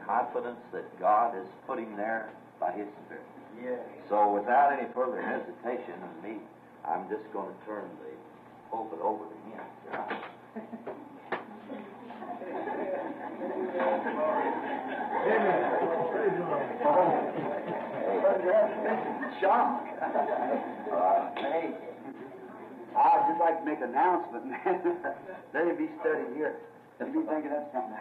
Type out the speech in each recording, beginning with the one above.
Confidence that God has put him there by His Spirit. So without any further hesitation of me, I'm just going to turn the pulpit over to him. Shock. Hey, I'd just like to make an announcement, man. Let him be studying here. Let him be thinking that's something.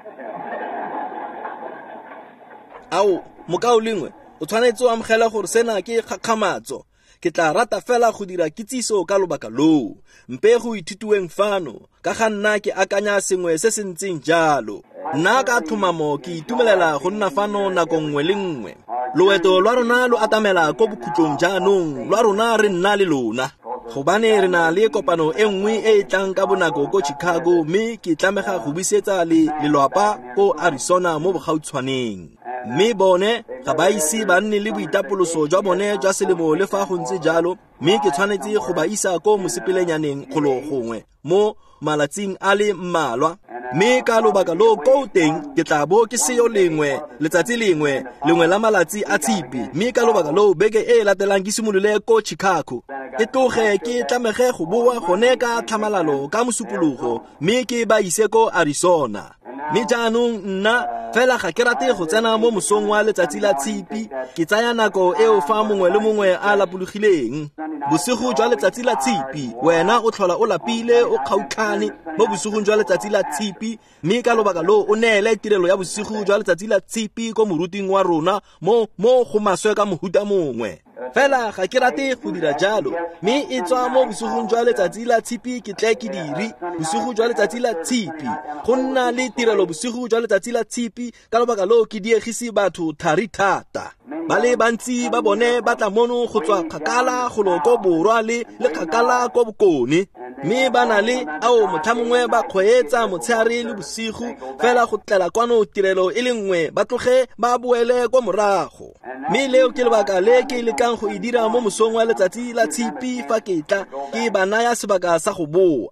Ao, mokaulengwe, o tshwanetse o amogela gore sena ke kgakgamatso. Ke tla rata fela go dira kitsiso ka lobaka loo. Mpe go ithutiweng fano, ka ga nna ke akanya sengwe se se ntseng jalo. Nna ka tlhomamo ke itumelela go nna fano nako nngwe le nngwe. Loeto lwa rona lo atamela ko bokhutlong jaanong, lwa rona re nna le lona. Gobane re na le kopano e nngwe e e tlang ka bonako ko Chicago, mme ke tlamega go buisetsa le lelwapa ko Arizona mo bogautshwaneng. Mme bone ga ba ise ba nne le boitapoloso jwa bone jwa selemo le fa go ntse jalo, mme ke tshwanetse go ba isa ko mosepelenyaneng golo gongwe mo malatsing a le mmalwa. Mme ka lobaka loo ko teng ke tla bo ke seyo lengwe letsatsi lengwe lengwe la malatsi a tshipi, mme ka lobaka loo beke e e latelang ke simolole ko Chicago. Ke tloge ke tlamege go boa gone ka tlhamalalo ka mosupologo, mme ke ba ise ko Arizona. Mme jaanong nna fela ga ke rate go tsena mo mosong wa letsatsi la tshipi, ke tsaya nako eo fa mongwe le mongwe a lapologileng. Bosigo jwa letsatsi la tshipi, wena o tlhola o lapile o kgautlhane mo bosigong jwa letsatsi la tshipi, mme ka lobaka loo o neele tirelo ya bosigo jwa letsatsi la tshipi ko moruting wa rona mo go maswe ka mohuta mongwe. Fela ga ke rate go dira jalo, mme e tswa mo bosigong jwa letsatsi la tshipi ke tle ke dire bosigo jwa letsatsi la tshipi go nna le tirelo bosigo jwa letsatsi la tshipi. Ka lobaka loo ke diegise batho thari thata. Ba le bantsi ba bone ba tla mono go tswa kgakala golo ko borwa le kgakala ko bokone, mme ba na le ao motlha mongwe ba kgweetsa motshegare le bosigo fela go tlela kwano tirelo e le nngwe, ba tloge ba boele kwa morago. Mme leo ke lebaka le ke lekang go e dira mo mosong wa letsatsi la tshipi fa ke tla, ke ba naya sebaka sa go boa.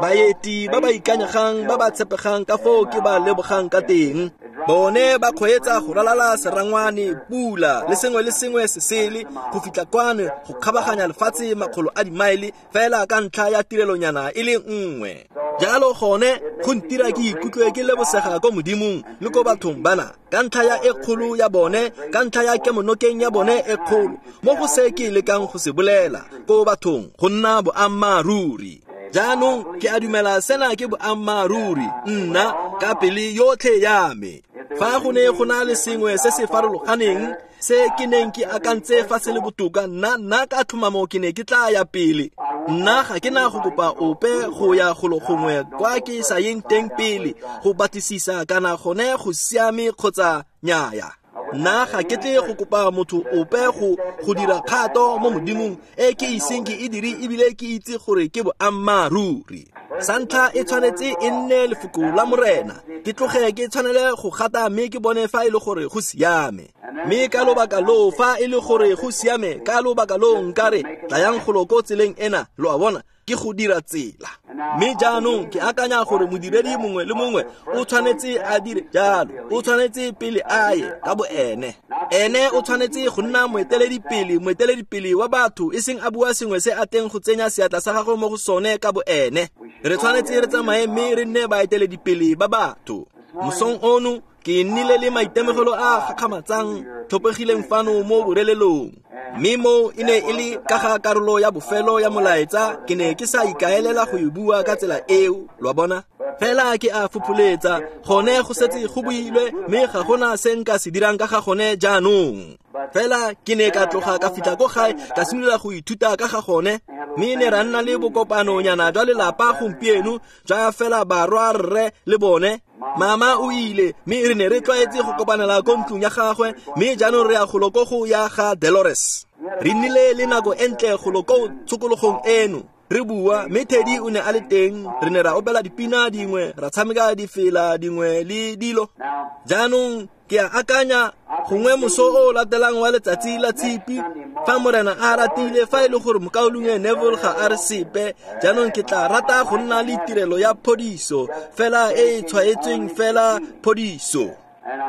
Baeti ba ba ikanyegang ba ba tshepegang ka foo ke ba lebogang ka teng. Bone ba kgweetsa go ralala serangwane, pula le sengwe le sengwe se sele go fitlha kwano go kgabaganya lefatshe makgolo a dimaele fela ka ntlha ya tirelonyana e le nngwe. Jalo gone go ntira ke ikutlwe ke lebosega ko Modimong le ko bathong bana ka ntlha ya e kgolo ya bone, ka ntlha ya kemonokeng ya bone e kgolo mo go se ke lekang go se bolela ko bathong go nna boammaaruri. Jaanong ke a dumela sena ke boammaaruri nna ka pele yotlhe ya me. Fa go ne go na le sengwe se se farologaneng se ke neng ke akantse fa se le botoka, nna ka tlhomamo ke ne ke tla ya pele. Nna ga ke na go kopa ope go ya golo gongwe kwa ke sa yeng teng pele go batlisisa kana gone go siame kgotsa nnyaya. Nna ga ke tle go kopa motho ope go dira kgato mo Modimong e ke iseng ke e dire ebile ke itse gore ke boammaaruri. Sa ntlha e tshwanetse e nne lefoko la Morena, ke tloge ke tshwanele go gata mme ke bone fa e le gore go siame. Mme ka lobaka loo fa e le gore go siame, ka lobaka loo nkare tlayang golo ko tseleng ena, lo a bona, ke go dira tsela. Mme jaanong ke akanya gore modiredi mongwe le mongwe o tshwanetse a dire jalo, o tshwanetse pele a ye ka boene. Ene o tshwanetse go nna moeteledipele wa batho, e seng a bua sengwe se a teng go tsenya seatla sa gagwe mo go sone ka boene. Re tshwanetse re tsamaye mme re nne baeteledipele ba batho. Mosong ono ke nnile le maitemogelo a gakgamatsang tlhopegileng fano mo borelelong. Mme mo e ne e le ka ga karolo ya bofelo ya molaetsa, ke ne ke sa ikaelela go e bua ka tsela eo, lo a bona. Fela ke a fopholetsa gone go setse go builwe, mme ga gona se nka se dirang ka ga gone jaanong. Fela ke ne ka tloga ka fitlha ko gae ka simolola go ithuta ka ga gone, mme ne ra nna le bokopanonyana jwa lelapa gompieno jwa fela barwa rre le bone. Mama o ile, mme re ne re tlwaetse go kopanela ko ntlong ya gagwe, mme jaanong re ya golo ko go ya ga Dolores. Re nnile le nako e ntle golo ko tshokologong eno re bua, mme Teddy o ne a le teng. Re ne ra opela dipina dingwe, ra tshameka difela dingwe le dilo. Jaanong ke a akanya gongwe moso o latelang wa letsatsi la tshipi, fa Morena a ratile, fa e le gore mokaulengwe Neville ga a re sepe, jaanong ke tla rata go nna le tirelo ya phodiso fela e e tshwaetsweng fela phodiso.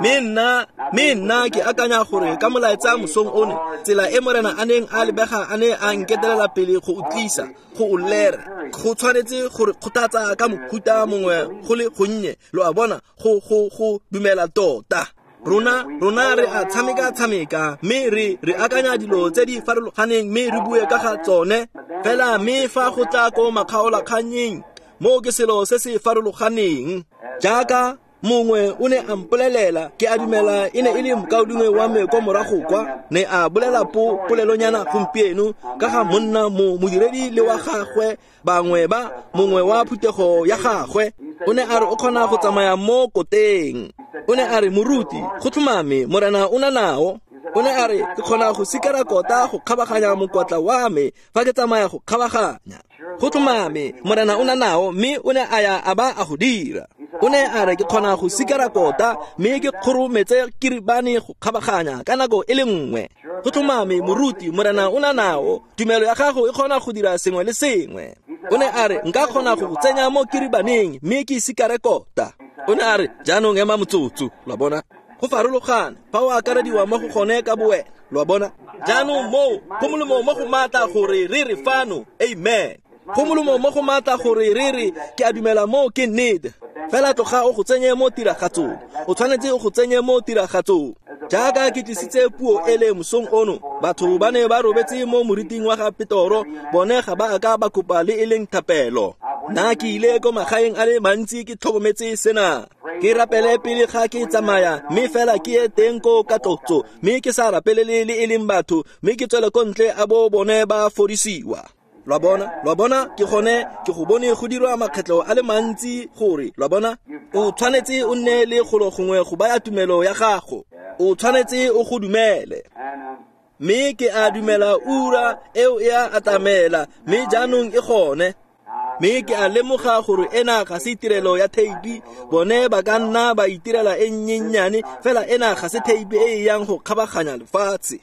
Mme nna ke akanya gore ka molaetsa mosong ono, tsela e Morena a neng a lebega a ne a nketelela pele go o tlisa, go o lere, go tshwanetse gore kgothatsa ka mohuta mongwe go le gonnye, lo a bona, go dumela tota. Rona re a tshameka, mme re akanya dilo tse di farologaneng, mme re bue ka ga tsone fela, mme fa go tla ko makgaolakgannyeng, moo ke selo se se farologaneng. Jaaka mongwe o ne a mpolelela, ke a dumela e ne e le mokaulengwe wa me kwa morago kwa, ne a bolela polelonyana gompieno ka ga monna modiredi le wa gagwe, bangwe ba mongwe wa phuthego ya gagwe. O ne a re o kgona go tsamaya mo koteng. O ne a re, moruti, go tlhomame Morena o na nao. O ne a re, ke kgona go sikara kota go kgabaganya mokwatla wa me fa ke tsamaya go kgabaganya. Go tlhomame Morena o na nao, mme o ne a ya a ba a go dira. O ne a re, ke kgona go sikara kota mme ke kgorometse kiribane go kgabaganya ka nako e le nngwe. Go tlhomame moruti, Morena o na nao. Tumelo ya gago e kgona go dira sengwe le sengwe. O ne a re, nka kgona go go tsenya mo kiribaneng mme ke sikare kota. O ne a re, jaanong ema motsotso, lo a bona. Go farologana fa o akarediwa mo go gone ka bowena, lo a bona. Jaanong moo go molemo mo go maatla gore re re fano, amen. Go molemo mo go maatla gore re re, ke a dumela moo ke nnete. Fela tloga o go tsenye mo tiragatsong, o tshwanetse o go tsenye mo tiragatsong. Jaaka ke tlisitse puo ele mosong ono, batho ba ne ba robetse mo moriting wa ga Petoro, bone ga ba a ka ba kopa le e leng thapelo. Nna ke ile ko magaeng a le mantsi ke tlhokometse sena. Ke rapele pele ga ke tsamaya, mme fela ke ye teng ko ka tlotso, mme ke sa rapelele le e leng batho, mme ke tswele ko ntle a bo bone ba fodisiwa. Lo a bona, ke gone ke go bone go dirwa makgetlo a le mantsi gore, lo a bona, o tshwanetse o nne le golo gongwe go baya tumelo ya gago. O tshwanetse o go dumele. Mme ke a dumela ura eo e a atamela, mme jaanong e gone. Mme ke a lemoga gore ena ga se tirelo ya theipi, bone ba ka nna ba itirela e nnyennyane, fela ena ga se theipi e e yang go kgabaganya lefatshe.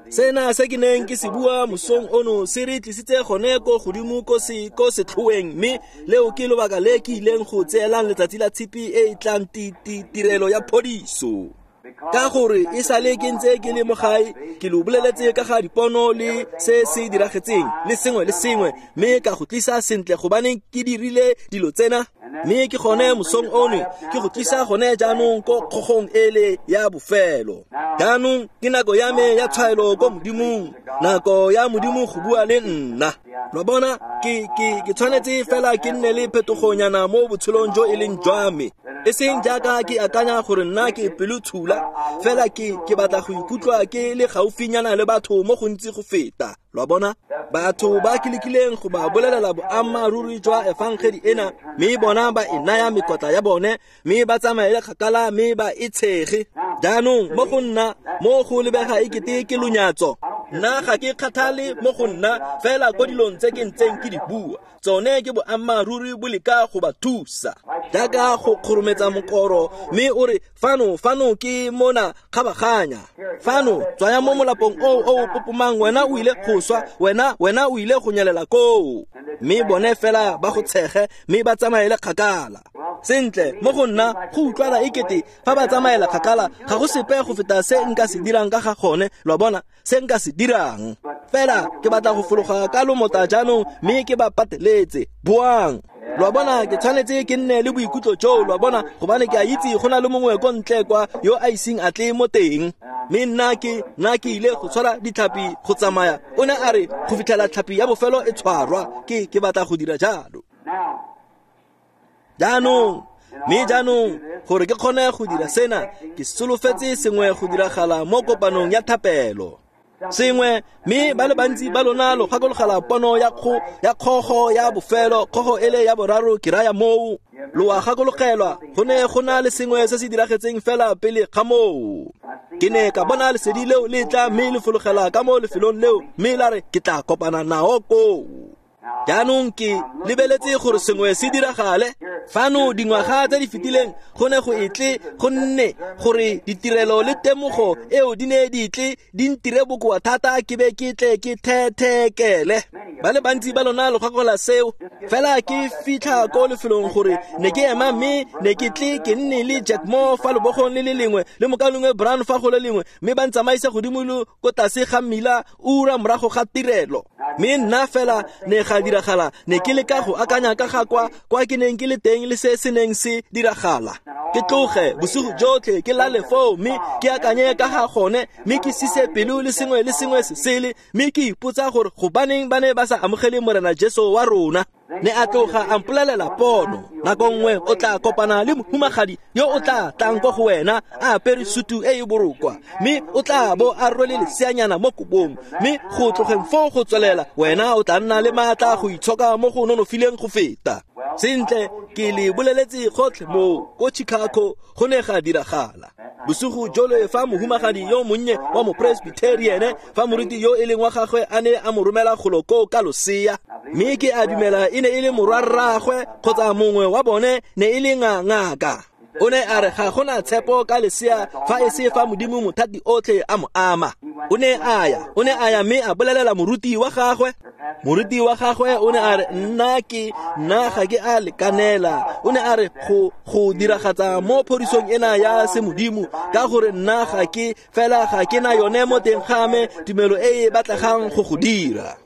Sena se ke neng ke se bua mosong ono se re tlisitse gone ko godimo ko setlhoeng, mme leo ke lobaka le ke ileng go tseelang letsatsi la tshipi e e tlang tirelo ya phodiso. Ka gore e sale ke ntse ke le mo gae, ke lo boleletse ka ga dipono le se se diragetseng le sengwe le sengwe, mme ka go tlisa sentle gobane ke dirile dilo tsena. Mme ke gone mosong ono ke go tlisa gone jaanong ko kgogong ele ya bofelo. Jaanong ke nako ya me ya tshwaelo ko Modimong, nako ya Modimo go bua le nna. Lo bona, ke tshwanetse fela ke nne le phetogonyana mo botshelong jo e leng jwa me. E seng jaaka ke akanya gore nna ke pelotshula, fela ke batla go ikutlwa ke le gaufinyana le batho mo gontsi go feta. Lo bona, batho ba ke lekileng go ba bolelela boammaaruri jwa efangedi ena, mme bona ba e naya mekotla ya bone, mme ba tsamaele kgakala mme ba e tshege. Jaanong mo go nna, mo go lebega ekete ke lonyatso. Nna ga ke kgathale mo go nna, fela ko dilong tse ke ntseng ke di bua, tsone ke boammaaruri bo leka go ba thusa. Jaaka go kgorometsa mokoro, mme o re, fano ke mona kgabaganya. Fano, tswaya mo molapong o popomang, wena o ile go swa, wena o ile go nyelela koo. Mme bone fela ba go tshege, mme ba tsamaele kgakala. Sentle, mo go nna, go utlwala ekete fa ba tsamaela kgakala, ga go sepe go feta se nka se dirang ka ga gone, lo a bona, se nka se dirang. Fela ke batla go fologa ka lomota jaanong, mme ke ba pateletse. Boang. Lo a bona, ke tshwanetse ke nne le boikutlo joo, lo a bona, gobane ke a itse go na le mongwe ko ntle kwa yo a iseng a tle mo teng. Mme nna ke ile go tshwara ditlhapi go tsamaya. O ne a re go fitlhela tlhapi ya bofelo e tshwarwa, ke batla go dira jalo. Jaanong, mme jaanong gore ke kgone go dira sena, ke solofetse sengwe go diragala mo kopanong ya thapelo. Sengwe, mme ba le bantsi ba lona lo gakologela pono ya kgogo ya bofelo, kgogo ele ya boraro ke raya moo. Lo a gakologelwa, go ne go na le sengwe se se diragetseng fela pele ga moo. Ke ne ka bona lesedi leo le tla mme le fologela ka mo lefelong leo, mme la re ke tla kopana nao koo. Jaanong ke lebeletse gore sengwe se diragale. Fano dingwaga tse di fetileng go ne go etle go nne gore ditirelo le temogo eo di ne di tle di ntire bokoa thata ke be ke tle ke thethekele. Ba le bantsi ba lona lo gakola seo. Fela ke fitlha ko lefelong gore ne ke ema mme ne ke tle ke nne le Jack Moore fa lebogong le le lengwe le mokaulengwe Brown fa go le lengwe, mme ba ntsamaise godimo le ko tlase ga mmila ura morago ga tirelo. Mme nna fela ne ga diragala ne ke leka go akanya ka ga kwa ke neng ke le teng le se se neng se diragala. Ke tloge bosigo jotlhe ke lale foo mme ke akanye ka ga gone, mme ke sise pelo le sengwe le sengwe se sele, mme ke ipotsa gore gobaneng ba ne ba sa amogele Morena Jesu wa rona. Ne a tloga a mpolelela pono. Nako nngwe o tla kopana le mohumagadi yo o tla tlang ko go wena a apere sutu e e borokwa, mme o tla bo a rwele leseanyana mo kobong, mme go tlogeng foo go tswelela wena o tla nna le maatla go itshoka mo go nonofileng go feta. Sentle, ke le boleletse gotlhe mo ko Chicago go ne ga diragala. Bosigo jole fa mohumagadi yo monnye wa mopresbyterian, fa moruti yo e leng wa gagwe a ne a mo romela golo koo ka losea, mme ke a dumela e ne e le morwarraagwe kgotsa mongwe wa bone ne e le ngaka. O ne a re ga gona tshepo ka lesea fa e se fa Modimo mothati otlhe a mo ama. O ne a ya mme a bolelela moruti wa gagwe. Moruti wa gagwe o ne a re nna ga ke a lekanela. O ne a re go diragatsa mo phodisong ena ya semodimo, ka gore nna ga ke fela ga ke na yone mo teng ga me tumelo e e batlegang go go dira.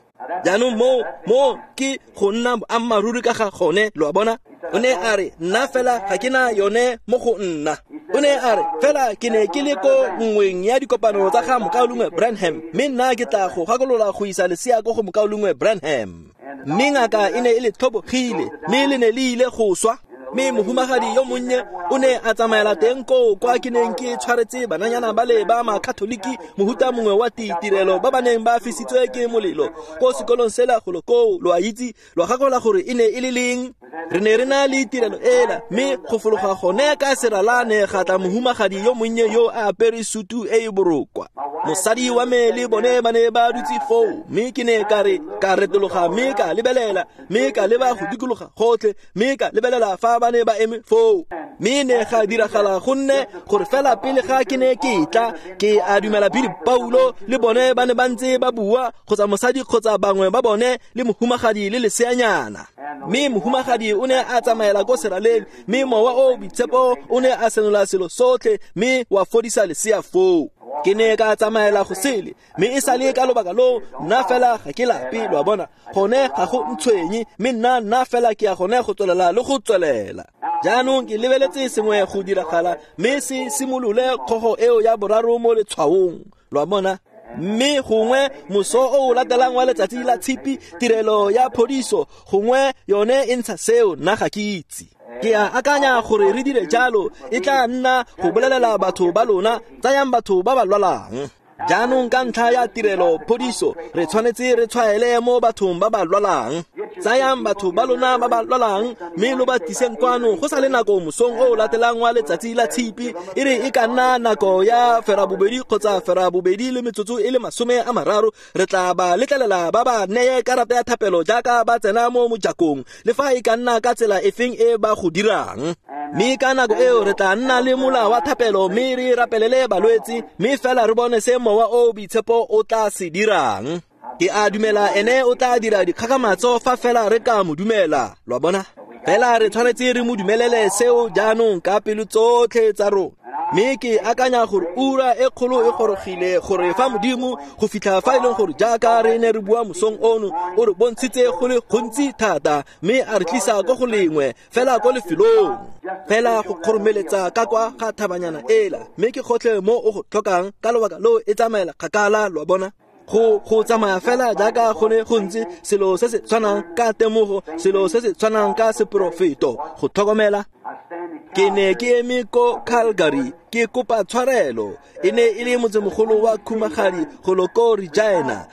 Jaanong mo ke go nna boammaaruri ka ga gone, lo a bona. O ne a re nna fela ga ke na yone mo go nna. O ne a re fela ke ne ke le ko nngweng ya dikopano tsa ga mokaulengwe Branham, mme nna ke tla go gakolola go isa lesea ko go mokaulengwe Branham. Mme ngaka e ne e le tlhobogile, mme le ne le ile go swa. Mme mohumagadi yo monnye o ne a tsamaela teng koo kwa ke neng ke tshwaretse bananyana ba le ba makatholiki mohuta mongwe wa tirelo ba ba neng ba fisitswe ke molelo ko sekolong sela golo koo, lo a itse, lo gakola gore e ne e le leng. Re ne re na le tirelo ela, mme go fologa gone ka seralane ga tla mohumagadi yo monnye yo a apere sutu e e borokwa. Mosadi wa me le bone ba ne ba dutse foo, mme ke ne ka re ka retologa mme ka lebelela, mme ka leba go dikologa gotlhe, mme ka lebelela fa ba ne ba eme foo. Mme ne ga diragala gonne gore fela pele ga ke ne ke tla, ke a dumela Billy Paulo le bone ba ne ba ntse ba bua, kgotsa mosadi kgotsa bangwe ba bone le mohumagadi le leseanyana. Mme mohumagadi o ne a tsamaela ko seraleng, mme mowa o boitshepo o ne a senola selo sotlhe mme wa fodisa lesea foo. Ke ne ka tsamaela go sele, mme e sale ka lobaka loo nna fela ga ke lape, lo a bona. Gone ga go ntshwenye, mme nna fela ke ya gone go tswelela le go tswelela. Jaanong ke lebeletse sengwe go diragala, mme se simolole kgogo eo ya boraro mo letshwaong, lo a bona. Mme gongwe moso o o latelang wa letsatsi la tshipi, tirelo ya phodiso, gongwe yone e ntsha seo, nna ga ke itse. Ke a akanya gore re dire jalo, e tla nna go bolelela batho ba lona, tsayang batho ba ba lwalang. Jaanong ka ntlha ya tirelo phodiso, re tshwanetse re tshwaele mo bathong ba ba lwalang. Tsayang batho ba lona ba ba lwalang, mme lo ba tliseng kwano go sa le nako mosong o latelang wa letsatsi la tshipi, e re e ka nna nako ya 2:30 kgotsa 2:30, re tla ba letlelela ba ba neye karata ya thapelo jaaka ba tsena mo mojakong, le fa e ka nna ka tsela efeng e ba go dirang. Mme ka nako eo re tla nna le mola wa thapelo, mme re rapelele balwetse, mme fela re bone se mowa o boitshepo o tla se dirang. Ke a dumela ene o tla dira dikgakgamatso fa fela re ka mo dumela, lo a bona. Fela re tshwanetse re mo dumelele seo jaanong ka pelo tsotlhe tsa rona. Mme ke akanya gore ura e kgolo e gorogile, gore fa Modimo go fitlha fa e leng gore jaaka re ne re bua mosong ono, o re bontshitse go le gontsi thata, mme a re tlisa ko go lengwe fela ko lefelong, fela go kgoromeletsa ka kwa ga thabanyana ela, mme ke gotlhe mo o go tlhokang ka lobaka loo e tsamaela kgakala, lo a bona. Go tsamaya fela jaaka go ne go ntse, selo se se tshwanang ka temogo, selo se se tshwanang ka seporofeto, go tlhokomela. Ke ne ke eme ko Calgary ke kopa tshwarelo, e ne e le motsemogolo wa khumagadi golo ko Regina.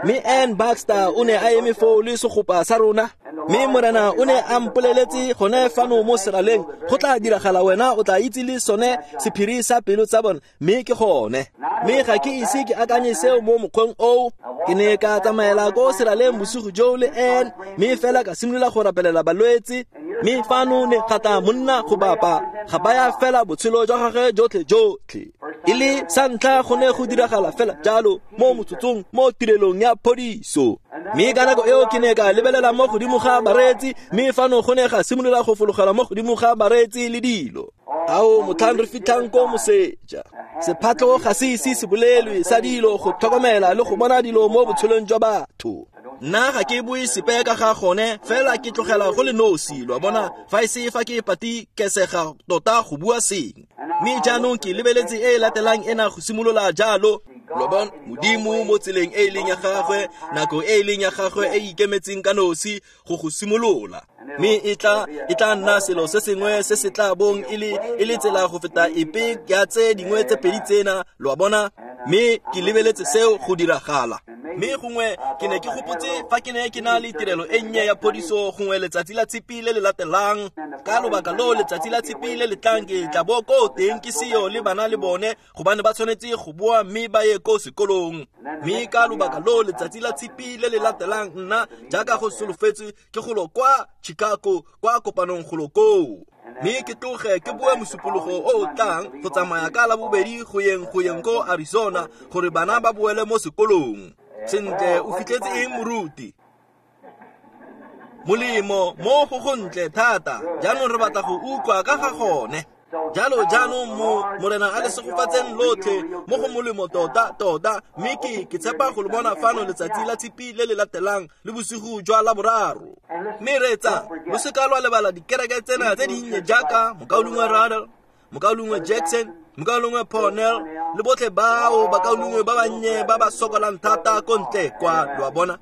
Mme Ann Baxter o ne a eme foo le segopa sa rona, mme Morena o ne a mpoleletse gone fano mo seraleng, go tla diragala wena o tla itse le sone sephiri sa pelo tsa bone, mme ke gone. Mme ga ke ise ke akanye seo mo mokgweng oo. Ke ne ka tsamaela ko seraleng bosigo joo le Ann, mme fela ka simolola go rapelela balwetse. Mme fano ne ga tla monna go bapa, ga baya fela botshelo jwa gagwe jotlhe jotlhe. E le sa ntlha go ne go diragala fela jalo mo motsotsong mo tirelong ya phodiso. Mme ka nako eo ke ne ka lebelela mo godimo ga bareetsi, mme fano go ne ga simolola go fologela mo godimo ga bareetsi le dilo. Ao motlhang re fitlhang ko moseja. Sephatlo ga se ise se bolelwe sa dilo go tlhokomela le go bona dilo mo botshelong jwa batho. Nna ga ke bue sepe ka ga gone, fela ke tlogela go le nosi, lo a bona, fa e se fa ke patikesega tota go bua seng. Mme jaanong ke lebeletse e e latelang ena go simolola jalo. Lo bona, Modimo mo tseleng e e leng ya gagwe, nako e e leng ya gagwe e e ikemetseng ka nosi go go simolola. Mme e tla nna selo se sengwe se se tla bong e le tsela go feta epe ya tse dingwe tse pedi tsena, lo a bona. Mme ke lebeletse seo go diragala. Mme gongwe ke ne ke gopotse fa ke ne ke na le tirelo e nnye ya phodiso gongwe letsatsi la tshipi le le latelang. Ka lobaka loo letsatsi la tshipi le le tlang ke tla bo ko teng ke seo le bana le bone, gobane ba tshwanetse go boa mme ba ye ko sekolong. Mme ka lobaka loo letsatsi la tshipi le le latelang nna jaaka go solofetswe ke golo kwa Chicago kwa kopanong golo koo. Mme ke tloge ke boe mosupologo o o tlang go tsamaya ka Labobedi go yeng ko Arizona gore bana ba boele mo sekolong. Sentle, o fitlhetse eng moruti? Molemo mo go gontle thata. Jaanong re batla go utlwa ka ga gone. Jalo jaanong mo Morena a le segofatseng lotlhe mo go molemo tota tota. Mme ke tshepa go le bona fano letsatsi la tshipi le le latelang le bosigo jwa Laboraro. Mme reetsa, lo seka lwa lebala dikereke tsena tse dinnye jaaka Mokaulengwe Ruddell, Mokaulengwe Jackson, Mokaulengwe Parnell le botlhe bao bakaulengwe ba bannye ba ba sokolang thata ko ntle kwa, lo a bona.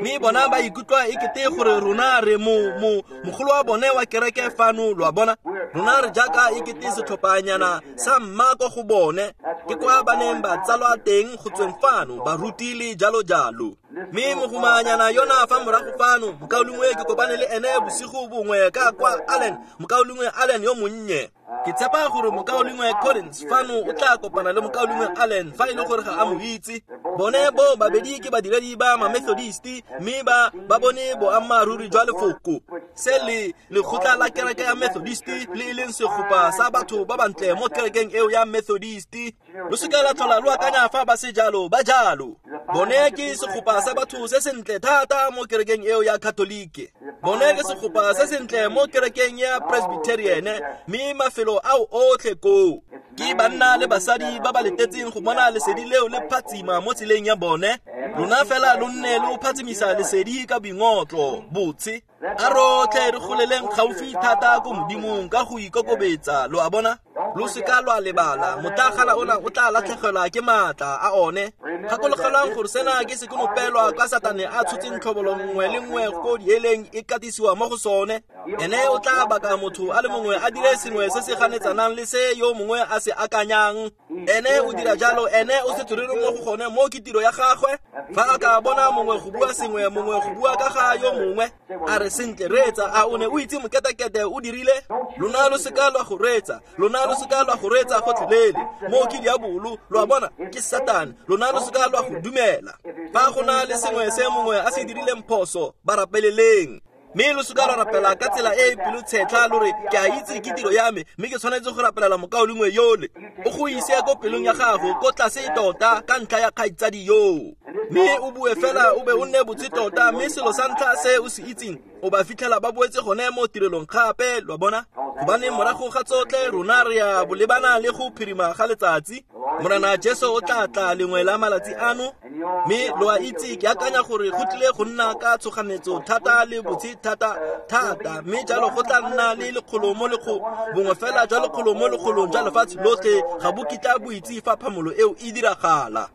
Mme bona ba ikutlwa e kete gore rona re mogolo wa bone wa kereke fano, lo a bona. Rona re jaaka e kete setlhophanyana sa mma ko go bone, ke kwa ba neng ba tsalwa teng go tsweng fano, baruti le jalo jalo. Mme mogomanyana yona fa morago fano, mokaulengwe ke kopane le ene bosigo bongwe ka kwa Allen, mokaulengwe Allen yo monnye. Ke tshepa gore mokaulengwe Collins fano o tla kopana le mokaulengwe Allen fa e le gore ga a mo itse. Bone bo babedi ke badiredi ba ma-Methodist, mme ba bone boammaaruri jwa lefoko. Se le lekgotla la kereke ya Methodist le e leng segopa sa batho ba bantle mo kerekeng eo ya Methodist. Lo seka la tlhola lo akanya fa ba se jalo, ba jalo. Bone ke segopa sa batho se sentle thata mo kerekeng eo ya Katolike. Bone ke segopa se sentle mo kerekeng ya Presbyterian, mme mafelo ao otlhe koo ke banna le basadi ba ba letetseng go bona lesedi leo le phatsima mo tseleng ya bone. Lona fela lo nne lo phatsimisa lesedi ka boingotlo botshe. A rotlhe re goleleng gaufi thata ko Modimong ka go ikokobetsa, lo a bona. Lo seka lwa lebala, motlakgala ona o tla latlhegelwa ke maatla a one. Gakologelwang gore sena ke sekonopelwa ka Satane a tshotseng tlhobolo nngwe le nngwe ko dieleng e katisiwa mo go sone. Ene o tla baka motho a le mongwe a dire sengwe se se ganetsanang le se yo mongwe a se akanyang. Ene o dira jalo, ene o se tswerere mo go gone mo ke tiro ya gagwe. Fa a ka bona mongwe go bua sengwe, mongwe go bua ka ga yo mongwe, a re sentle reetsa, a o ne o itse moketekete o dirile? Lona lo seka lwa go reetsa, lona lo seka lwa go reetsa gotlhelele. Mo ke diabolo, lo a bona, ke Satane. Lona lo seka lwa go dumela. Fa go na le sengwe se mongwe a se dirileng phoso, ba rapeleleng. Mme lo seka lwa rapela ka tsela e e pelotshetlha lo re, ke a itse ke tiro ya me, mme ke tshwanetse go rapelela mokaulengwe yole. O go ise ko pelong ya gago, ko tlase tota ka ntlha ya kgaitsadi yoo. Mme o bue fela o be o nne botse tota, mme selo sa ntlha se o se itseng, o ba fitlhela ba boetse gone mo tirelong gape, lo a bona. Gobane morago ga tsotlhe rona re ya bolebana le go phirima ga letsatsi. Morena Jesu o tla tla lengwe la malatsi ano, mme lo a itse ke akanya gore go tlile go nna ka tshoganetso thata le botse thata thata, mme jalo go tla nna le lekgolo mo lekgolo bongwe fela jwa lekgolo mo lekgolong jwa lefatshe lotlhe ga bo kitla bo itse fa phamolo eo e diragala.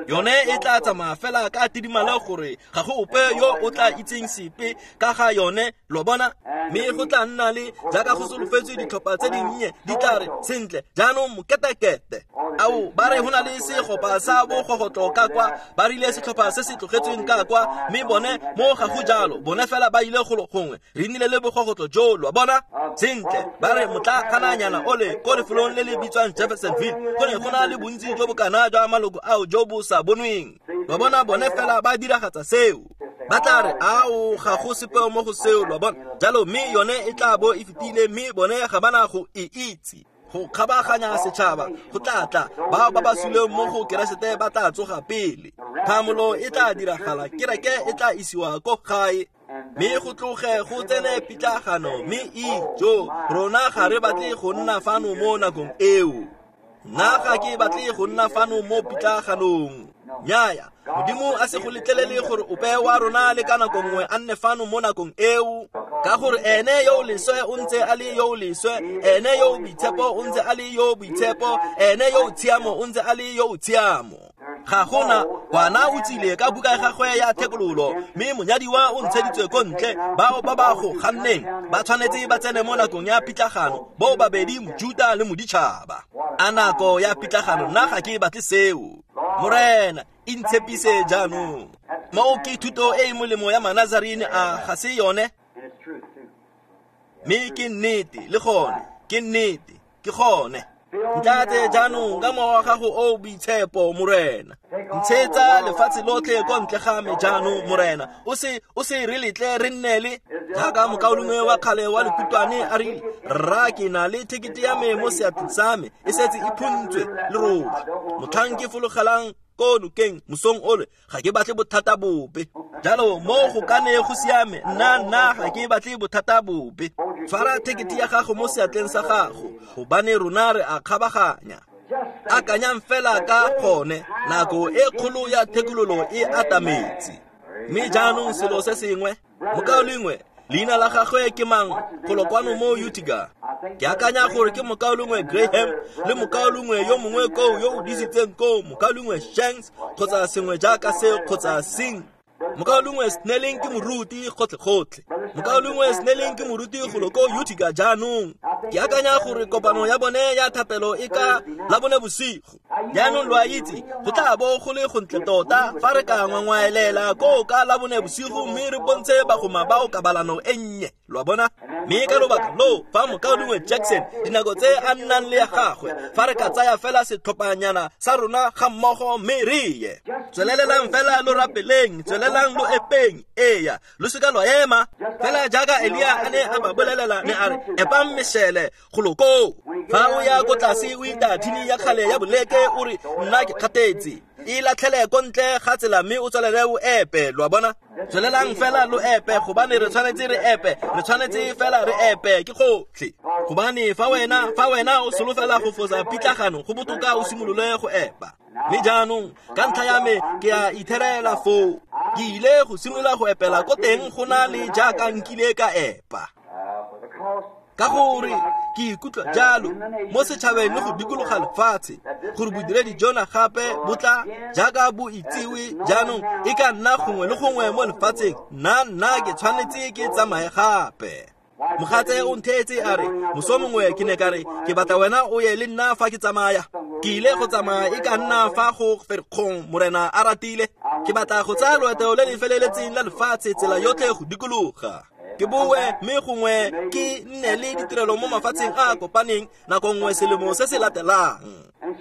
Yone e tla tsamaya fela ka tidimalo gore ga go ope yo o tla itseng sepe ka ga yone, lo bona. Mme go tla nna le jaaka go solofetswe ditlhopha tse dinnye di tla re sentle jaanong moketekete. Ao ba re go na le segopa sa bogogotlo ka kwa, ba rile setlhopha se se tlogetsweng ka kwa, mme bone mo ga go jalo, bone fela ba ile golo gongwe. Re nnile le bogogotlo jo, lo bona. Sentle ba re motlaagananyana ole ko lefelong le le bitswang Jeffersonville, go ne go na le bontsi jo bokana jwa maloko ao jo bo sa bonweng. Ba bona bone fela ba diragatsa seo. Ba tla re, ao, ga go sepe mo go seo, lo a bona. Jalo mme yone e tla bo e fetile, mme bone ga bana go e itse. Go kgabaganya setšhaba go tla tla, bao ba ba suleng mo go Keresete ba tla tsoga pele. Phamolo e tla diragala, kereke e tla isiwa ko gae, mme go tloge go tsene pitlagano, mme ijo rona ga re batle go nna fano mo nakong eo. Nna ga ke batle go nna fano mo pitlaganong. Nnyaya, Modimo a se go letlelele gore ope wa rona le ka nako nngwe a nne fano mo nakong eo, ka gore ene yo o leswe o ntse a le yo o leswe, ene yo o boitshepo o ntse a le yo o boitshepo, ene yo o tshiamo o ntse a le yo o tshiamo. Ga gona kwana o tsile ka buka ya gagwe ya thekololo, mme monyadiwa o ntsheditswe ko ntle. Bao ba ba go ganneng ba tshwanetse ba tsene mo nakong ya pitlagano, bo babedi Mojuta le moditšhaba. A nako ya pitlagano, nna ga ke batle seo. Morena, intshepise jaanong. Moo ke thuto e e molemo ya Manazarene, a ga se yone? Mme ke nnete le gone, ke nnete, ke gone. Ntlatse jaanong ka mowa wa gago o boitshepo, Morena. Ntshetsa lefatshe lotlhe ko ntle ga me jaanong, Morena. O se re letle re nne le jaaka mokaulengwe wa kgale wa lekutwane a rile, rra, ke na le thekete ya me mo seatleng sa me, e setse e phuntswe leroba. Motlhang ke fologelang ko nokeng mosong ole, ga ke batle bothata bope. Jalo mo go ka ne go siame, nna ga ke batle bothata bope. Tshwara thekete ya gago mo seatleng sa gago, gobane rona re a kgabaganya. Akanyang fela ka gone, nako e kgolo ya thekololo e atametse. Mme jaanong selo se sengwe, mokaulengwe, leina la gagwe ke mang golo kwano mo Utica? Ke akanya gore ke mokaulengwe Graham le mokaulengwe yo mongwe koo yo o disitseng koo, mokaulengwe Shanks kgotsa sengwe jaaka seo, kgotsa Singh. Mokaulengwe Snelling ke moruti gotlhe-gotlhe. Mokaulengwe Snelling ke moruti golo ko Utica jaanong. Ke akanya gore kopano ya bone ya thapelo e ka Labone bosigo. Jaanong lo a itse, go tla bo go le gontle tota fa re ka ngwangwaelela koo ka Labone bosigo mme re bontshe bagoma bao kabalano e nnye, lo a bona. Mme ka lobaka loo, fa mokaulengwe Jackson dinako tse a nnang le ya gagwe, fa re ka tsaya fela setlhophanyana sa rona ga mmogo mme re ye. Tswelelelang fela lo rapeleng, tswelelang lo epeng, eya, lo seka lwa ema. Fela jaaka Elia a ne a ba bolelela, ne a re, epang mešele golo koo. Fa o ya ko tlase o ita thini ya kgale ya boleke, o re, nna ke kgathetse, e latlhele ko ntle ga tsela mme o tswelele o epe, lo a bona. Tswelelang fela lo epe, gobane re tshwanetse re epe, re tshwanetse fela re epe, ke gotlhe. Gobane fa wena o solofela go fosa pitlagano, go botoka o simolole go epa. Mme jaanong ka ntlha ya me ke a itherela foo, ke ile go simolola go epela ko teng go na le jaaka nkile ka epa. Ka gore ke ikutlwa jalo mo setšhabeng le go dikologa lefatshe, gore bodiredi jona gape bo tla jaaka bo itsiwe jaanong e ka nna gongwe le gongwe mo lefatsheng. Nna ke tshwanetse ke tsamaye gape. Mogatse o ntheetse a re, moso mongwe ke ne ka re, ke batla wena o ye le nna fa ke tsamaya. Ke ile go tsamaya e ka nna fa go Ferikgong, Morena a ratile. Ke batla go tsaya loeto le le feleletseng la lefatshe, tsela yotlhe go dikologa. Ke boe mme gongwe ke nne le ditirelo mo mafatsheng a a kopaneng nako nngwe selemo se se latelang.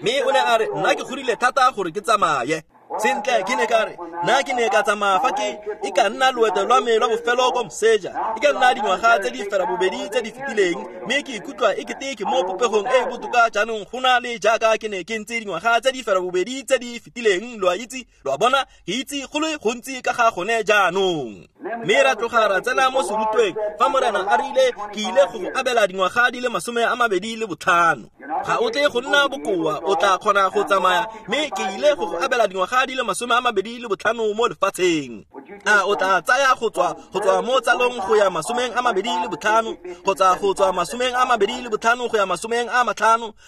Mme o ne a re, nna ke godile thata gore ke tsamaye. Sentle, ke ne ka re, nna ke ne ka tsamaya fa ke e ka nna loeto lwa me lwa bofelo ko moseja, e ka nna dingwaga tse di ferabobedi tse di fetileng, mme ke ikutlwa e kete ke mo popegong e e botoka jaanong go na le jaaka ke ne ke ntse dingwaga tse di ferabobedi tse di fetileng, lo a itse, lo a bona, ke itse go le gontsi ka ga gone jaanong. Mme ra tloga ra tsena mo serutweng fa Morena a rile, ke ile go go abela dingwaga di le 25. Ga o tle go nna bokoa, o tla kgona go tsamaya, mme ke ile go go abela dingwaga di le 25 mo lefatsheng. A o tla tsaya go tswa mo tsalong go ya 25, kgotsa go tswa 25 go ya 50, 50 go ya 75,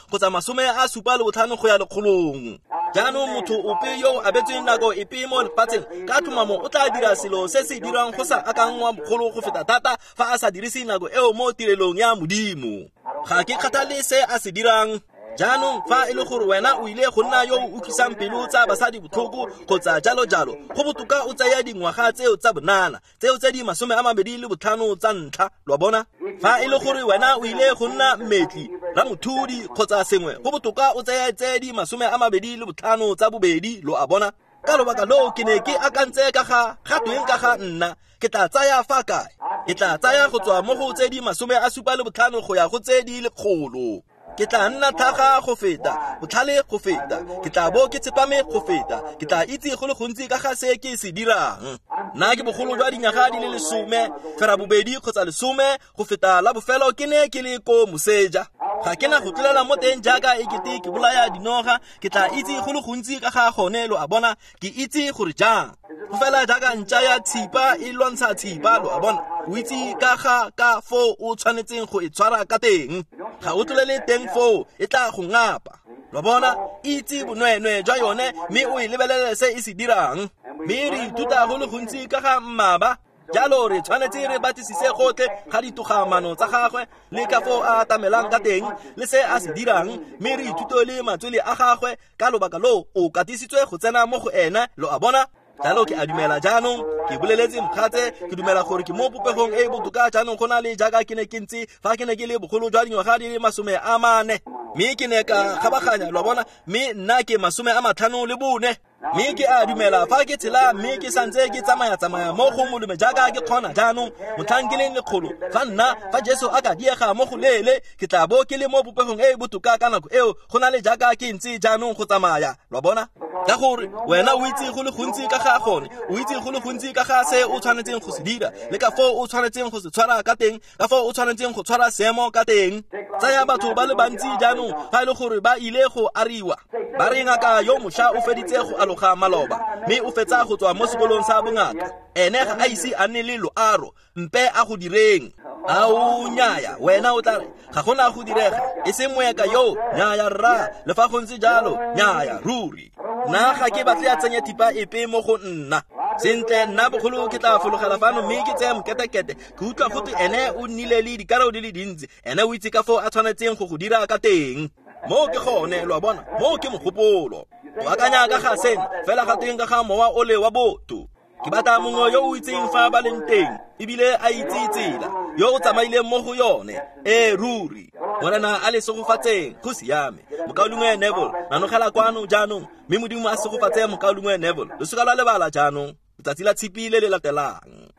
kgotsa 75 go ya 100. Jaanong motho ope yo o abetsweng nako epe mo lefatsheng ka tlhomamo o tla dira selo se se dirwang go sa akanngwa bogolo go feta thata fa a sa dirise nako eo mo tirelong ya Modimo. Ga ke kgathale se a se dirang. Jaanong fa e le gore wena o ile go nna yo o utlwisang pelo tsa basadi botlhoko kgotsa jalo jalo, go botoka o tsaya dingwaga tseo tsa bonana, tseo tse di 25 tsa ntlha, lo a bona. Fa e le gore wena o ile go nna mmetli, ramothudi kgotsa sengwe, go botoka o tsaya tse di 25 tsa bobedi, lo a bona. Ka lobaka loo ke ne ke akantse ka ga tweng ka ga nna, ke tla tsaya fa kae? Ke tla tsaya go tswa mo go tse di 75 go ya go tse di 100. Ke tla nna tlhaga go feta, botlhale go feta, ke tla bo ke tsepame go feta, ke tla itse go le gontsi ka ga se ke se dirang. Nna ke bogolo jwa dinyaga di le 10, ferabobedi kgotsa 10 go feta la bofelo ke ne ke le ko moseja. Ga ke na go tlolela mo teng jaaka ekete ke bolaya dinoga, ke tla itse go le gontsi ka ga gone, lo a bona, ke itse gore jang. Go fela jaaka ntša ya tshipa e lwantsha tshipa, lo a bona, o itse ka ga ka foo o tshwanetseng go e tshwara ka teng. Ga o tlolele teng foo, e tla go ngapa. Lo bona, itse bonweenwee jwa yone mme o e lebelele se e se dirang. Mme re ithuta go le gontsi ka ga mmaba. Jalo re tshwanetse re batlisise gotlhe ga ditogamaano tsa gagwe le ka foo a atamelang ka teng le se a se dirang, mme re ithute le matswele a gagwe. Ka lobaka loo o katisitswe go tsena mo go ena, lo a bona. Jalo ke a dumela jaanong, ke boleletse mogatse, ke dumela gore ke mo popegong e e botoka jaanong go na le jaaka ke ne ke ntse fa ke ne ke le bogolo jwa dingwaga di le 40. Mme ke ne ka kgabaganya, lo a bona, mme nna ke 54. Mme ke a dumela fa ke tshela mme ke santse ke tsamaya-tsamaya mo go molemo jaaka ke kgona jaanong, motlhang ke leng 100, fa nna, fa Jesu a ka diega mo go leele, ke tla bo ke le mo popegong e e botoka ka nako eo go na le jaaka ke ntse jaanong go tsamaya, lo a bona. Ka gore wena o itse go le gontsi ka ga gone, o itse go le gontsi ka ga se o tshwanetseng go se dira, le ka foo o tshwanetseng go se tshwara ka teng, ka foo o tshwanetseng go tshwara seemo ka teng. Tsaya batho ba le bantsi jaanong fa e le gore ba ile go ariwa, ba re ngaka yo mošwa o feditse go aloga maloba, mme o fetsa go tswa mo sekolong sa bongaka. Ene ga a ise a nne le loaro, mpe a go direng. Ao nnyaya, wena o tla re ga gona go direga, e seng moeka yo, nnyaya rra, le fa go ntse jalo, nnyaya ruri. Nna ga ke batle a tsenya thipa epe mo go nna. Sentle, nna bogolo ke tla fologela fano mme ke tseye moketekete. Ke utlwa gotwe ene o nnile le dikarabo di le dintsi, ene o itse ka foo a tshwanetseng go dira ka teng. Moo ke gone, lo a bona, moo ke mogopolo. O akanya ka ga seno, fela ga tweng ka ga mowa ole wa botho. Ke batla mongwe yo o itseng fa ba leng teng, ebile a itse tsela, yo o tsamaileng mo go yone. Ee ruri. Morena a le segofatseng, go siame. Mokaulengwe Neville, nanogela kwano jaanong, mme Modimo a segofatse mokaulengwe Neville. Lo seka lwa lebala jaanong, letsatsi la tshipi le le latelang.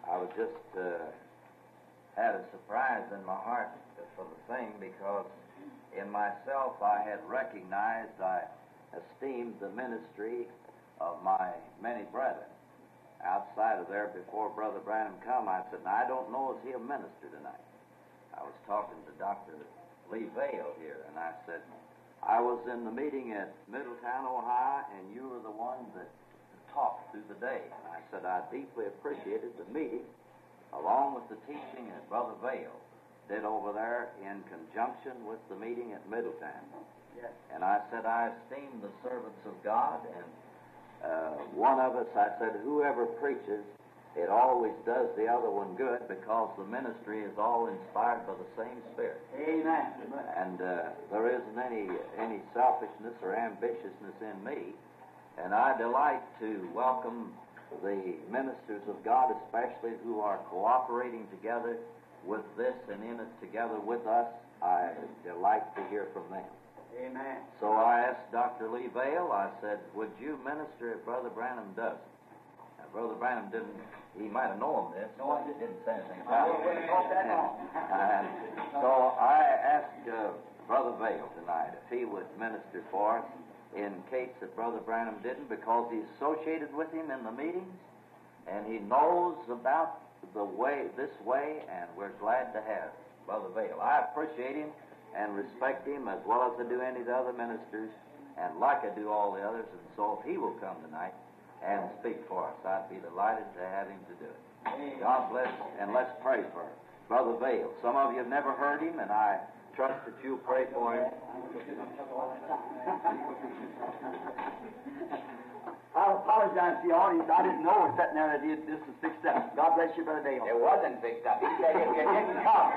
I was just had a surprise in my heart for the thing, because in myself I had recognized, I esteemed the ministry of my many brethren. Outside of there, before Brother Branham come, I said, now, I don't know, is he a minister tonight? I was talking to Dr. Lee Vayle here, and I said, I was in the meeting at Middletown, Ohio, and you were the one that talked through the day. And I said, I deeply appreciated the meeting, along with the teaching that Brother Vayle did over there in conjunction with the meeting at Middletown. Yes. And I said, I esteem the servants of God, and one of us, I said, whoever preaches, it always does the other one good, because the ministry is all inspired by the same Spirit. Amen. And there isn't any selfishness or ambitiousness in me. And I delight to welcome the ministers of God, especially who are cooperating together with this and in it together with us. I delight to hear from them. Amen. So I asked Dr. Lee Vayle, I said, would you minister if Brother Branham doesn't? Now, Brother Branham didn't, he might have known this, no, but he didn't say anything about it. And so I asked Brother Vayle tonight if he would minister for us in case that Brother Branham didn't, because he's associated with him in the meetings, and he knows about the way, this way, and we're glad to have Brother Vayle. I appreciate him and respect him as well as I do any of the other ministers, and like I do all the others, and so if he will come tonight and speak for us, I'd be delighted to have him to do it. God bless, and let's pray for Brother Vayle. Some of you have never heard him, and I trust that you'll pray for him. I apologize to the audience. I didn't know it was sitting there that this was fixed up. God bless you, Brother Vayle. It wasn't fixed up. He said if you didn't come,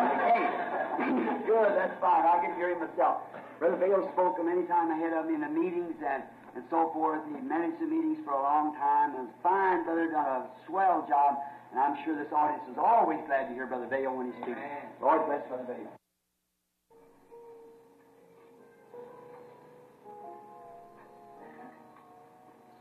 you can't. Good, that's fine. I'll get to hear him myself. Brother Vayle spoke many times ahead of me in the meetings and so forth. He managed the meetings for a long time. And was fine, brother, done a swell job. And I'm sure this audience is always glad to hear Brother Vayle when he speaks. Amen. Lord bless Brother Vayle.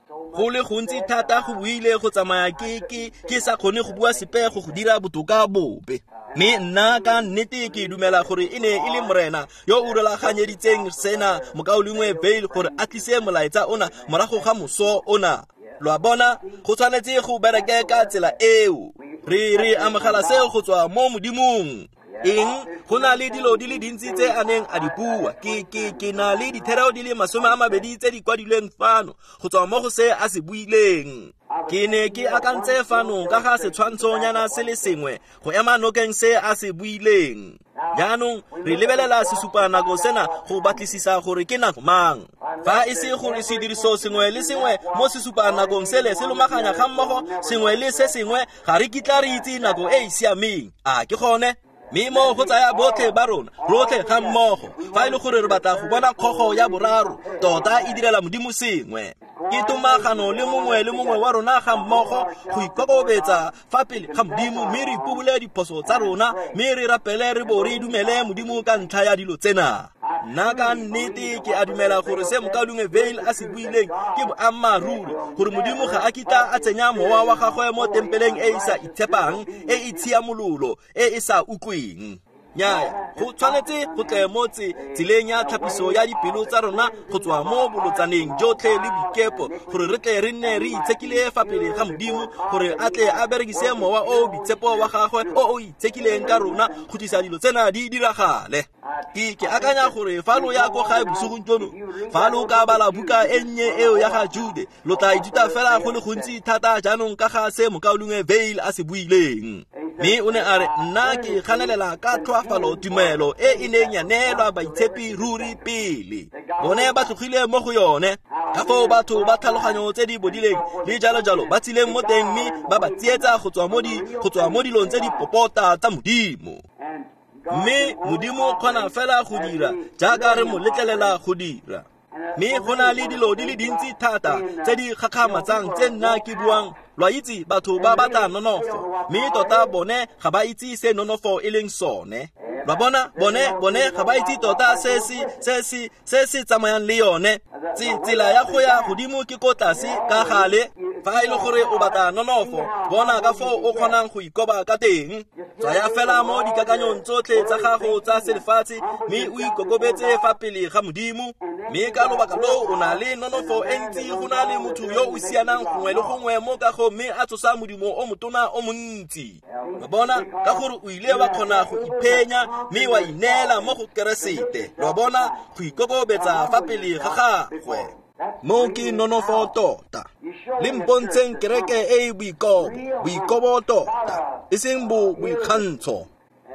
Go le gontsi thata go buile go tsamaya ke sa kgone go bua sepe go dira botoka bope. Mme nna ka nnete ke dumela gore e ne e le Morena yo o rulaganyeditseng sena mokaulengwe Vayle gore a tlise molaetsa ona morago ga moso ona. Lo a bona, go tshwanetse go bereke ka tsela eo. Re amogela seo go tswa mo Modimong. Eng, go na le dilo di le dintsi tse a neng a di bua. Ke na le dithereo di le 20 tse di kwadilweng fano go tswa mo go se a se buileng. Ke ne ke akantse fano ka ga setshwantshonyana se le sengwe go ema nokeng se a se buileng. Jaanong re lebelela sesupa nako sena go batlisisa gore ke nako mang. Fa e se gore sediriso sengwe le sengwe mo sesupa nakong sele se lomaganya ga mmogo sengwe le se sengwe, ga re kitla re itse nako e e siameng. A ke gone? Mme mo go tsaya botlhe ba rona, rotlhe ga mmogo, fa e le gore re batla go bona kgogo ya boraro tota e direla Modimo sengwe. Ke tomagano le mongwe le mongwe wa rona ga mmogo go ikokobetsa fa pele ga Modimo, mme re ipobole diphoso tsa rona, mme re rapele re bo re dumele Modimo ka ntlha ya dilo tsena. Nna ka nnete ke a dumela gore se mokaulengwe Vayle a se buileng ke boammaaruri, gore Modimo ga a kitla a tsenya mowa wa gagwe mo tempeleng e e sa itshepang, e e tshiamololo, e e sa utlweng. Nnyaya, go tshwanetse go tle mo tseleng ya tlhapiso ya dipelo tsa rona go tswa mo bolotsaneng jotlhe le boikepo, gore re tle re nne re itshekile fa pele ga Modimo, gore a tle a berekise mowa o boitshepo wa gagwe o o itshekileng ka rona go tlisa dilo tsena di diragale. Ke akanya gore fa lo ya ko gae bosigong jono, fa lo ka bala buka e nnye eo ya ga Jude, lo tla ithuta fela go le gontsi thata jaanong ka ga se mokaulengwe Vayle a se buileng. Mme o ne a re, nna ke ganelela ka tlhoafalo tumelo e e neng ya neelwa baitshepi ruri pele. Bone ba tlogile mo go yone. Ka foo batho ba tlhaloganyo tse di bodileng le jalo jalo ba tsileng mo teng mme ba ba tsietsa go tswa mo dilong tse di popota tsa Modimo. Mme Modimo o kgona fela go dira jaaka re mo letlelela go dira. Mme go na le dilo di le dintsi thata tse di gakgamatsang tse nna ke buang. Lo a itse batho ba batla nonofo, mme tota bone ga ba itse se nonofo e leng sone. Ba bona bone ga ba itse tota se se tsamayang le yone. Tsela ya go ya godimo ke ko tlase ka gale. Fa e le gore o batla nonofo, bona ka foo o kgonang go ikoba ka teng. Tswaya fela mo dikakanyong tsotlhe tsa gago tsa selefatshe, mme o ikokobetse fa pele ga Modimo. Mme ka lobaka loo o na le nonofo e ntsi go na le motho yo o sianang gongwe le gongwe mo kagong, mme a tsosa modimo o motona o montsi. Lo bona, ka gore o ile wa kgona go iphenya mme wa ineela mo go Keresete. Lo bona, go ikokobetsa fa pele ga gagwe. Mo ke nonofo tota. Le mpontsheng kereke e e boikobo tota, e seng boikgantsho.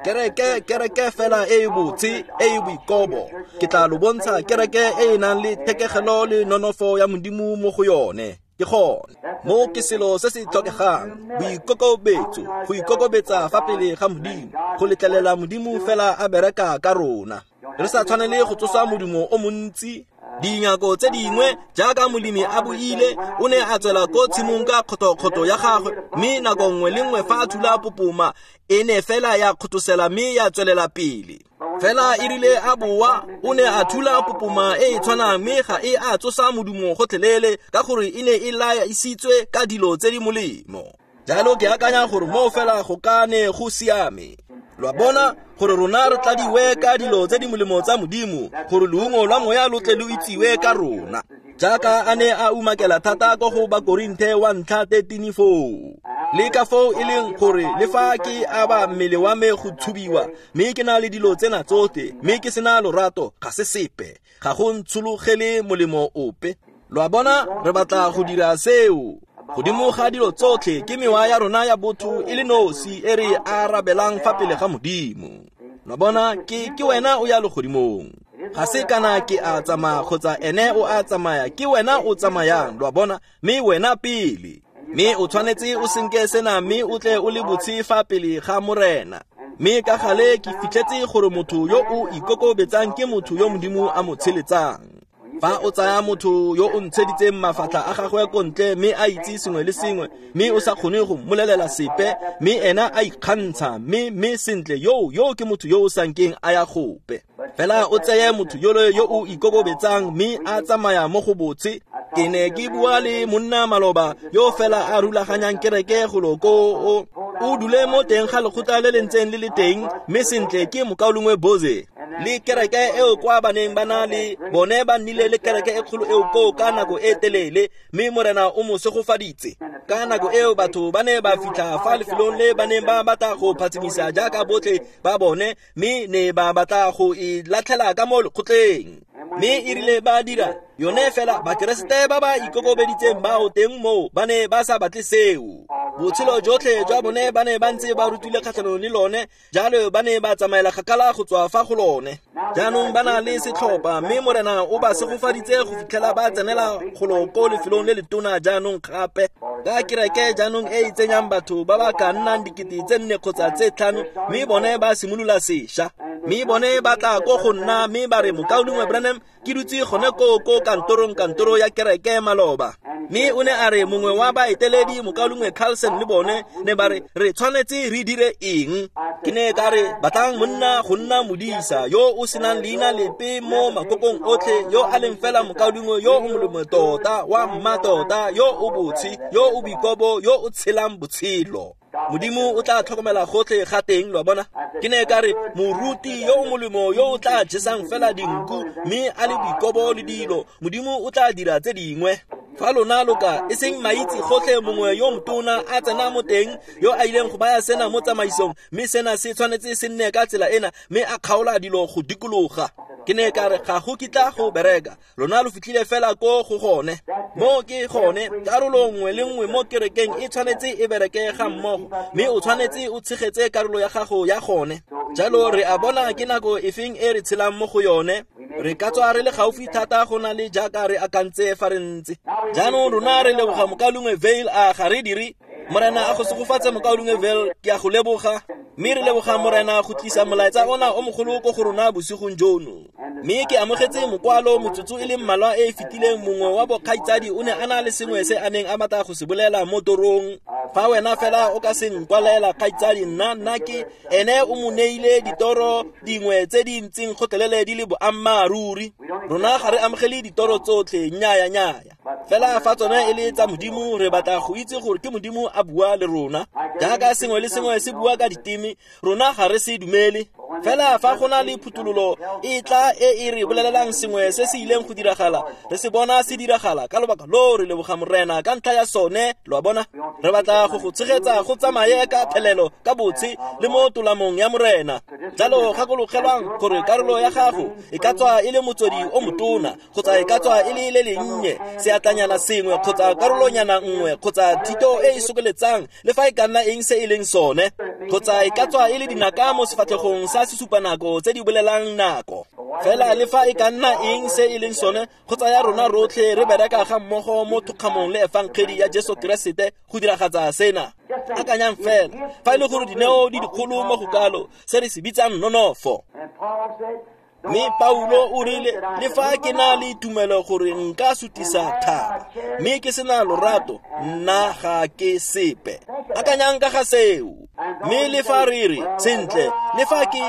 Kereke fela e e botse, e e boikobo. Ke tla lo bontsha kereke e e nang le thekegelo le nonofo ya Modimo mo go yone. Ke gone mo ke selo se se tlhokegang, boikokobetso, go ikokobetsa fa pele ga Modimo, go letlelela Modimo fela a bereka ka rona. Re sa tshwanele go tsosa modumo o montsi. Dinako tse dingwe jaaka molemi a buile, o ne a tswela ko tshimong ka kgotokgoto ya gagwe, mme nako nngwe le nngwe fa a thula popoma e ne fela ya kgothosela mme ya tswelela pele. Fela e rile a boa, o ne a thula popoma e e tshwanang, mme ga e a tsosa modumo gotlhelele ka gore e ne e laisitswe ka dilo tse di molemo. Jalo ke akanya gore mo fela go ka ne go siame. Lo a bona gore rona re tladiwe ka dilo tse di molemo tsa Modimo, gore leungo lwa moya lo tle lo itsiwe ka rona. Jaaka a ne a umakela thata ko go Bakorinthe wa ntlha 13:4. Le ka foo e leng gore le fa ke aba mmele wa me go tshubiwa, mme ke na le dilo tsena tsotlhe, mme ke sena lorato, ga se sepe, ga go ntshologele molemo ope. Lo a bona, re batla go dira seo. Godimo ga dilo tsotlhe ke mewa ya rona ya botho e le nosi e re arabelang fa pele ga Modimo. Lo bona, ke wena o ya legodimong. Ga se kana ke a tsamaya kgotsa ene o a tsamaya, ke wena o tsamayang, lo a bona, mme wena pele. Mme o tshwanetse o senke sena mme o tle o le botse fa pele ga Morena. Mme ka gale ke fitlhetse gore motho yo o ikokobetsang ke motho yo Modimo a mo tsheletsang. Fa o tsaya motho yo o ntsheditseng mafatlha a gagwe ko ntle mme a itse sengwe le sengwe, mme o sa kgone go mmolelela sepe, mme ena a ikgantsha, mme sentle yo ke motho yo o sa nkeng a ya gope. Fela o tseye motho yole yo o ikokobetsang mme a tsamaya mo go botse. Ke ne ke bua le monna maloba yo fela a rulaganyang kereke golo ko o dule mo teng ga lekgotla le le ntseng le le teng, mme sentle ke mokaulengwe Boze. Le kereke eo kwa baneng ba na le bone ba nnile le kereke e kgolo eo koo ka nako e telele, mme Morena o mo segofaditse. Ka nako eo batho ba ne ba fitlha fa lefelong le ba neng ba batla go phatsimisa jaaka botlhe ba bone, mme ne ba batla go e latlhela ka mo lekgotleng. Mme e rile ba dira yone fela Bakeresete ba ba ikokobeditseng bao teng moo ba ne ba sa batle seo. Botshelo jotlhe jwa bone ba ne ba ntse ba rutile kgatlhanong le lone, jalo ba ne ba tsamaela kgakala go tswa fa go lone. Jaanong ba na le setlhopha, mme Morena o ba segofaditse go fitlhela ba tsenela golo ko lefelong le letona jaanong gape. Ka kereke jaanong e e tsenyang batho ba ba ka nnang 4,000 kgotsa 5,000, mme bone ba simolola sešwa. Mme bone ba tla ko go nna mme ba re, Mokaulengwe Branham, ke dutse gone koo ko kantoro ya kereke maloba. Mme o ne a re mongwe wa baeteledi, mokaulengwe Carlson le bone, ne ba re re tshwanetse re dire eng. Ke ne ka re batlang monna go nna modisa yo o senang leina lepe mo makokong otlhe, yo a leng fela mokaulengwe yo o molemo tota, wa mmatota, yo o botshe, yo o boikobo, yo o tshelang botshelo. Modimo o tla tlhokomela gotlhe ga teng, lo a bona. Ke ne ka re moruti yo o molemo yo o tla jesang fela dinku mme a le boikobo le dilo, Modimo o tla dira tse dingwe. Fa lona loka e seng maitse gotlhe mongwe yo motona a tsena mo teng yo a ileng go baya sena mo tsamaisong, mme sena se tshwanetse se nne ka tsela ena, mme a kgaola dilo go dikologa. Ke ne ka re ga go kitla go bereka. Lona lo fitlhile fela ko go gone. Mo ke gone karolo nngwe le nngwe mo kerekeng e tshwanetse e bereke ga mmogo, mme o tshwanetse o tshegetse karolo ya gago ya gone. Jalo re a bona ke nako efeng e re tshelang mo go yone. Re ka tswa re le gaufi thata go na le jaaka re akantse fa re ntse. Jaanong rona re leboga mokaulengwe Vayle, a ga re dire? Morena a go segofatse mokaulengwe Vayle, ke a go leboga. Mme re leboga Morena go tlisa molaetsa ona o mogolo ko go rona bosigong jono. Mme ke amogetse mokwalo metsotso e le mmalwa e e fetileng, mongwe wa bokgaitsadi o ne a na le sengwe se a neng a batla go se bolela mo torong. Fa wena fela o ka se nkwalela kgaitsadi, nna ke ene o mo neile ditoro dingwe tse di ntseng gotlhelele di le boammaaruri. Rona ga re amogele ditoro tsotlhe, nnyaya. Fela fa tsone e le tsa Modimo, re batla go itse gore ke Modimo a bua le rona. Jaaka sengwe le sengwe se bua ka diteme, rona ga re se dumele. Fela fa go na le phuthololo e tla e e re bolelelang sengwe se se ileng go diragala, re se bona se diragala. Ka lobaka loo re leboga Morena ka ntlha ya sone, lo a bona. Re batla go go tshegetsa go tsamaye ka phelelo, ka botshe le mo tolamong ya Morena. Jalo gakologelwang gore karolo ya gago e ka tswa e le motswedi o motona, kgotsa e ka tswa e le le lennye, seatlanyana sengwe kgotsa karolonyana nngwe kgotsa thito e e sokeletsang, le fa e ka nna eng se e leng sone, kgotsa e ka tswa e le dinaka mo sefatlhegong sa sesupanako tse di bolelang nako. Fela le fa e ka nna eng se e leng sone, kgotsa ya rona rotlhe re bereka ga mmogo mo thokgamong le efangedi ya Jesu Keresete go diragatsa sena. Akanyang fela, fa e le gore dineo di dikgolo mo go kalo, se re se bitsang nonofo. Mme Paulo o rile, le fa ke na le tumelo gore nka sutisa thaba, mme ke sena lorato, nna ga ke sepe. Akanyang ka ga seo. Mme le fa re re, sentle, le fa ke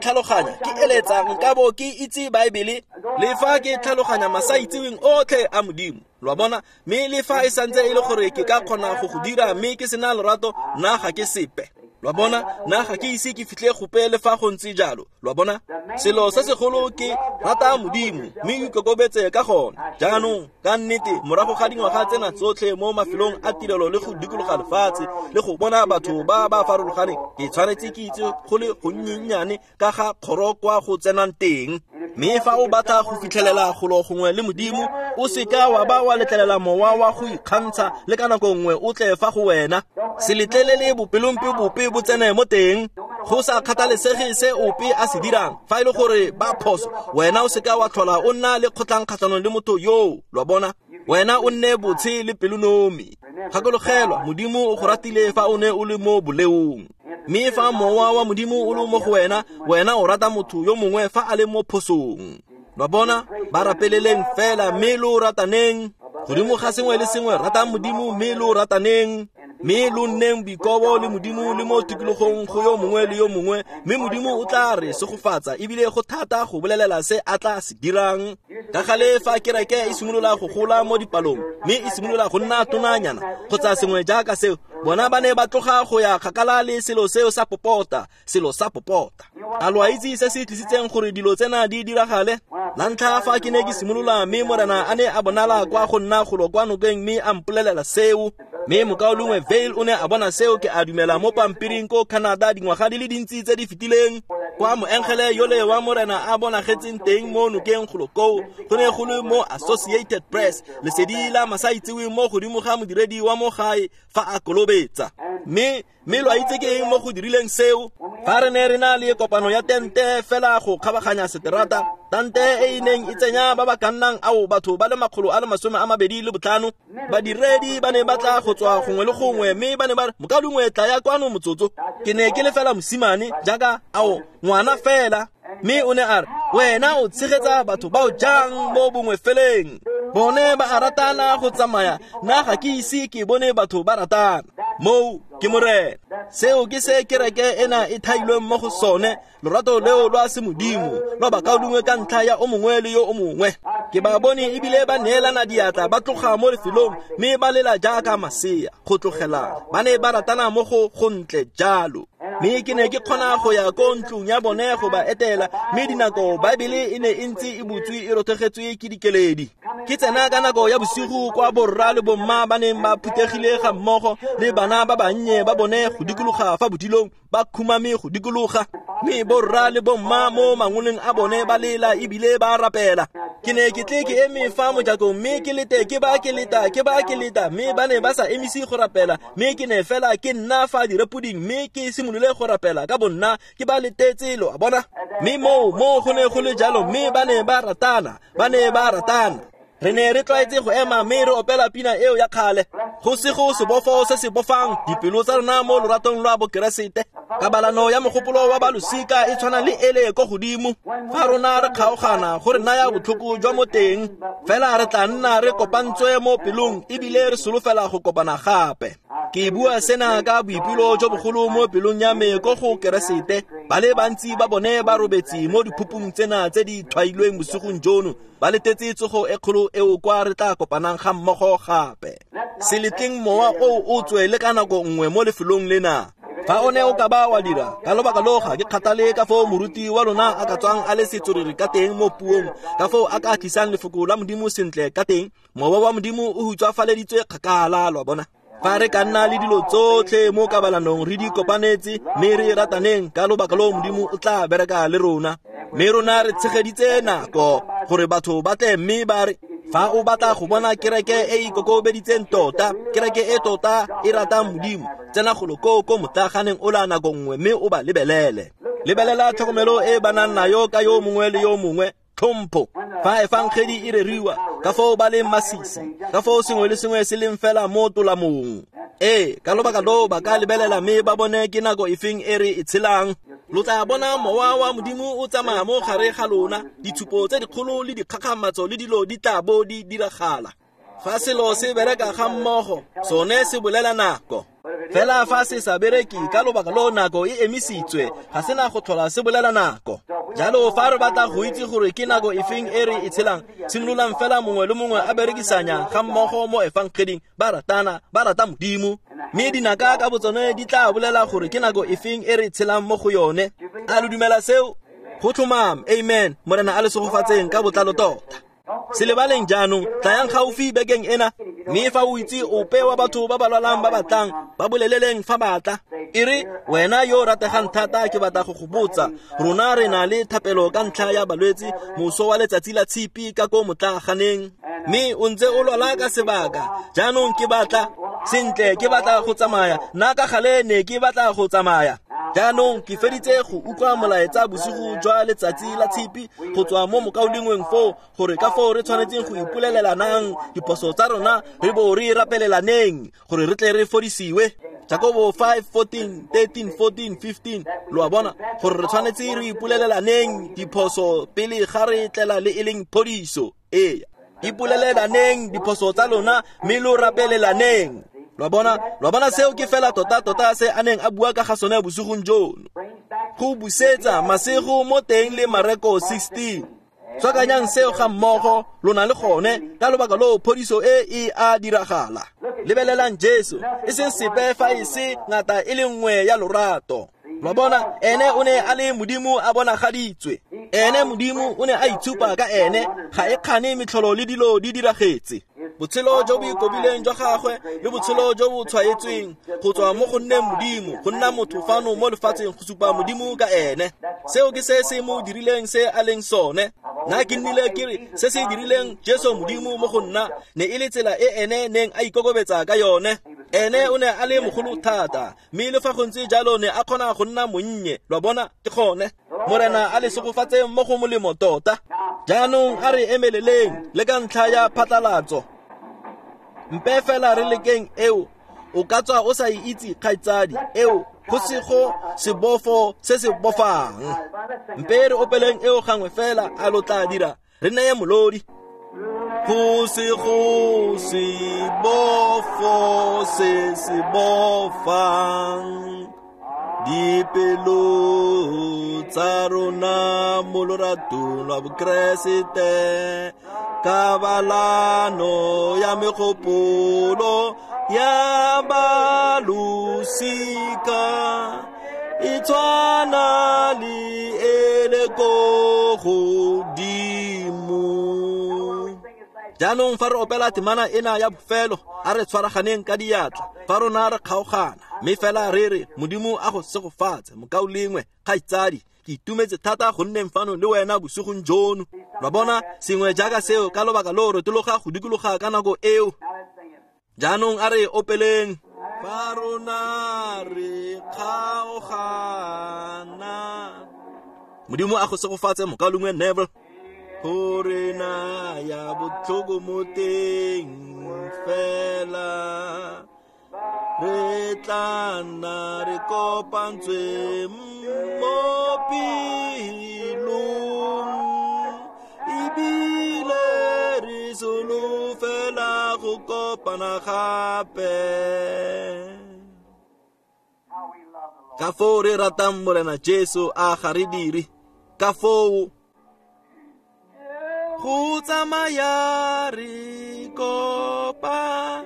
tlhaloganya, ke eletsa nkabo ke itse Baebele, le fa ke tlhaloganya masaitseweng otlhe a Modimo, lo a bona, mme le fa e santse e le gore ke ka kgona go go dira mme ke sena lorato, nna ga ke sepe. Lo a bona, nna ga ke ise ke fitlhe gope le fa go ntse jalo. Lo a bona, selo se segolo ke rata Modimo mme o ikokobetse ka gone. Jaanong ka nnete, morago ga dingwaga tsena tsotlhe mo mafelong a tirelo le go dikologa lefatshe le go bona batho ba ba farologaneng, ke tshwanetse ke itse go le gonnyennyane ka ga kgoro kwa go tsenang teng. Mme fa o batla go fitlhelela golo gongwe le Modimo, o seka wa ba wa letlelela mowa wa go ikgantsha le ka nako nngwe o tle fa go wena. Se letlelele bopelompe bope bo tsene mo teng, go sa kgathalesege se ope a se dirang. Fa e le gore ba phoso, wena o seka wa tlhola o nna le kgotlang kgatlhanong le motho yoo, lo a bona. Wena o nne botshe le pelonomi. Gakologelwa, Modimo o go ratile fa o ne o le mo boleong. Mme fa mowa wa Modimo o le mo go wena, wena o rata motho yo mongwe fa a le mo phosong. Lo bona, ba rapeleleng fela mme lo rataneng. Godimo ga sengwe le sengwe, ratang Modimo mme lo rataneng. Mme lo nneng boikobo le Modimo le mo tikologong go yo mongwe le yo mongwe, mme Modimo o tla re segofatsa ebile go thata go bolelela se a tla se dirang. Ka gale fa kereke e simolola go gola mo dipalong, mme e simolola go nna tonanyana kgotsa sengwe jaaka seo, bona ba ne ba tloga go ya kgakala le selo seo sa popota, selo sa popota. A lo a itse se se tlisitseng gore dilo tsena di diragale? La ntlha fa ke ne ke simolola, mme Morena a ne a bonala kwa go nna golo kwa nokeng mme a mpolelela seo. Mme mokaulengwe Vail o ne a bona seo ke a dumela mo pampiring ko Canada dingwaga di le dintsi tse di fetileng, kwa moengele yole wa Morena a bonagetseng teng mo nokeng golo koo. Go ne go le mo Associated Press, lesedi la masaitseweng mo godimo ga modiredi wa mo gae fa a kolobetsa. Mme lo a itse ke eng mo go dirileng seo? Fa re ne re na le kopano ya tente fela go kgabaganya seterata, tante e e neng e tsenya ba ba ka nnang ao batho ba le 125, badiredi ba ne ba tla go tswa gongwe le gongwe, mme ba ne ba re, mokaulengwe tla ya kwano motsotso. Ke ne ke le fela mosimane jaaka ao ngwana fela, mme o ne a re, wena o tshegetsa batho bao jang mo bongwe feleng? Bone ba a ratana go tsamaya, nna ga ke ise ke bone batho ba ratana. Moo ke Morena. Seo ke se kereke ena e thailweng mo go sone, lorato leo lwa semodimo lwa bakaulengwe ka ntlha ya o mongwe le yo o mongwe. Ke ba bone ebile ba neelana diatla ba tloga mo lefelong mme ba lela jaaka masea go tlogelana. Ba ne ba ratana mo go gontle jalo. Mme ke ne ke kgona go ya ko ntlong ya bone go ba etela, mme dinako Baebele e ne e ntse e butswe e rothegetswe ke dikeledi. Ke tsena ka nako ya bosigo kwa borra le bomma ba neng ba phuthegile ga mmogo le bana ba bannye ba bone go dikologa fa bodilong, ba khumame go dikologa, mme borra le bomma mo mangoleng a bone ba lela ebile ba rapela. Ke ne ke tle ke eme fa mojakong mme ke lete ke ba ke leta ke ba ke leta, mme ba ne ba sa emise go rapela, mme ke ne fela ke nna fa direpoding mme ke simolole go rapela ka bonna ke ba letetse, lo a bona. Mme moo go ne go le jalo, mme ba ne ba ratana, ba ne ba ratana. Re ne re tlwaetse go ema mme re opela pina eo ya kgale, go se go sebofo se se bofang dipelo tsa rona mo loratong lwa bokeresete. Kabalano ya mogopolo wa balosika e tshwana le ele ko godimo. Fa rona re kgaogana go re naya botlhoko jwa mo teng, fela re tla nna re kopantswe mo pelong ebile re solofela go kopana gape. Ke bua sena ka boipelo jo bogolo mo pelong ya me ko go Keresete. Ba le bantsi ba bone ba robetse mo diphupung tsena tse di tshwailweng bosigong jono, ba letetse tsogo e kgolo eo kwa re tla kopanang ga mmogo gape. Se letleng mowa oo o tswe le ka nako nngwe mo lefelong lena. Fa o ne o ka ba wa dira, ka lobaka lo ga ke kgathale ka foo moruti wa lona a ka tswang a le setswerere ka teng mo puong, ka foo a ka tlisang lefoko la Modimo sentle ka teng, mowa wa Modimo o hutswafaleditswe kgakala, lo a bona. Fa re ka nna le dilo tsotlhe mo kabalanong re di kopanetse mme re rataneng, ka lobaka lo Modimo o tla bereka le rona. Mme rona re tshegeditse nako gore batho ba tle mme ba re, fa o batla go bona kereke e ikokobeditseng tota, kereke e tota e ratang Modimo, tsena golo koo ko motlaganeng o la nako nngwe mme o ba lebelele. Lebelela tlhokomelo e ba nang nayo ka yo mongwe le yo mongwe, tlhompho. Fa efangedi e reriwa, ka foo ba leng masisi, ka foo sengwe le sengwe se leng fela mo tolamong. Ee, ka lobaka loo ba ka lebelela mme ba bone ke nako efeng e re e tshelang. Lo tla bona mowa wa Modimo o tsamaya mo gare ga lona, ditshupo tse dikgolo le dikgakgamatso le dilo di tla bo di diragala. Fa selo se bereka ga mmogo, sone se bolela nako. Fela fa se sa bereke, ka lobaka lo nako e emisitswe, ga se na go tlhola se bolela nako. Jalo fa re batla go itse gore ke nako efeng e re e tshelang, simololang fela mongwe le mongwe a berekisanya ga mmogo mo efangeding, ba ratana, ba rata Modimo. Mme dinaka ka botsone di tla bolela gore ke nako efeng e re tshelang mo go yone. A lo dumela seo? Go tlhomame, amen. Morena a le segofatseng ka botlalo tota. Se lebaleng jaanong, tlayang gaufi bekeng ena, mme fa o itse ope wa batho ba ba lwalang ba batlang, ba boleleleng fa batla. E re, wena yo rategang thata, ke batla go go botsa, rona re na le thapelo ka ntlha ya balwetse moso wa letsatsi la tshipi ka ko motlaganeng, mme o ntse o lwala ka sebaka. Jaanong ke batla, sentle ke batla go tsamaya, nna ka gale ne ke batla go tsamaya. Jaanong ke feditse go utlwa molaetsa bosigo jwa letsatsi la tshipi go tswa mo mokaulengweng foo, gore ka foo re tshwanetseng go ipolelelanang diphoso tsa rona re bo re rapelelaneng gore re tle re fodisiwe. Jakobo 5, 14, 13, 14, 15. Lo a bona gore re tshwanetse re ipolelelaneng diphoso pele ga re tlela le e leng phodiso. Ee, ipolelelaneng diphoso tsa lona mme lo rapelelaneng. Lo bona seo ke fela tota se a neng a bua ka ga sone bosigong jono. Go busetsa masego mo teng le Mareko 16. Tswakanyang seo ga mmogo lona le gone ka lobaka loo phodiso e e a diragala. Lebelelang Jesu, e seng sepe fa e se ngata e le nngwe ya lorato. Lo bona, ene o ne a le Modimo a bonagaditswe. Ene Modimo o ne a itshupa ka ene, ga e kgane metlholo le dilo di diragetse. Botshelo jo bo ikobileng jwa gagwe le botshelo jo bo tshwaetsweng go tswa mo go nneng Modimo, go nna motho fano mo lefatsheng go supa Modimo ka ene. Seo ke se se mo dirileng se a leng sone. Nna ke nnile ke re se se dirileng Jesu Modimo mo go nna ne e le tsela e ene neng a ikokobetsa ka yone. Ene o ne a le mogolo thata, mme le fa go ntse jalo ne a kgona go nna monnye. Lo bona, ke gone. Morena a le segofatse mo go molemo tota. Jaanong a re emeleleng le ka ntlha ya phatlalatso. Mpe fela re lekeng eo, o ka tswa o sa e itse kgaitsadi eo go sego sebofo se se bofang. Mpe re opeleng eo gangwe fela, a lo tla dira re neye molodi. Go sego sebofo se se bofang dipelo tsa rona mo loratong lwa Bokeresete, kabalano ya megopolo ya balosika e tshwana le ele ko godimo. Jaanong fa re opela temana ena ya bofelo, a re tshwaraganeng ka diatla fa rona re kgaogana, mme fela re re Modimo a go segofatse mokaulengwe kgaitsadi. Ke itumetse thata go nneng fano le wena bosigong jono. Lo bona sengwe jaaka seo ka lobaka lo retologa go dikologa ka nako eo. Jaanong a re opeleng. Fa rona re kgaogana. Modimo a go segofatse mokaulengwe Neville. Gore na ya botlhoko mo teng fela, re tla nna re kopantswe mo pelong, ebile re solofela go kopana gape. Ka foo re ratang Morena Jesu, a ga re dire ka foo go tsamaya re kopa,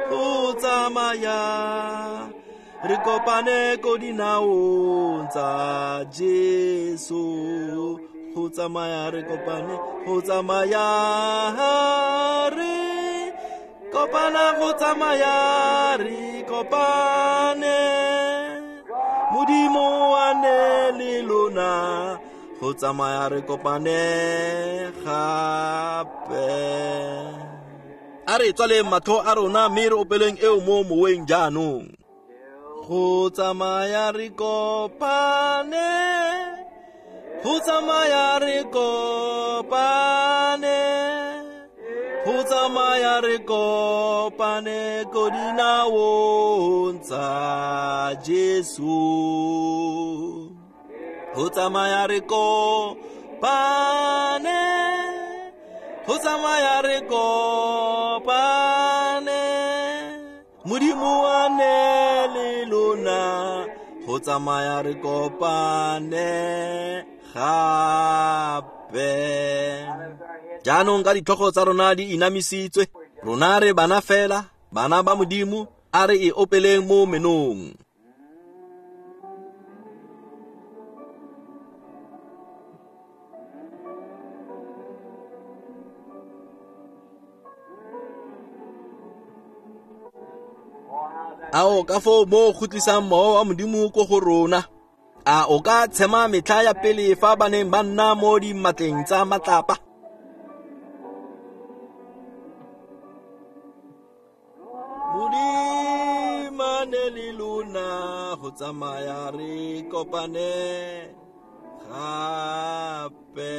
go tsamaya re kopane ko dinaong tsa Jesu. Go tsamaya re kopane, go tsamaya re kopana, go tsamaya re kopane. Modimo a ne le lona, go tsamaya re kopane gape. A re tswaleng matlho a rona mme re opeleng eo mo moweng jaanong. Go tsamaya re kopane, go tsamaya re kopane, go tsamaya re kopane ko dinaong tsa Jesu. Go tsamaya re kopane, go tsamaya re kopane, Modimo a ne le lona, go tsamaya re kopane gape. Jaanong ka ditlhogo tsa rona di inamisitswe, rona re bana fela, bana ba Modimo, a re e opeleng mo menong. Ao ka foo mo go tlisang mowa wa Modimo ko go rona. A o ka tshema metlha ya pele fa ba neng ba nna mo dimatleng tsa matlapa? Modimo a ne le lona, go tsamaya re kopane gape.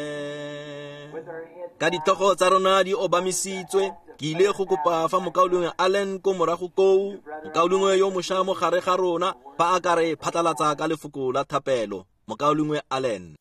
Ka ditlhogo tsa rona di obamisitswe, ke ile go kopa fa mokaulengwe Allen ko morago koo, mokaulengwe yo mošwa mo gare ga rona, fa a ka re phatlalatsa ka lefoko la thapelo. Mokaulengwe Allen.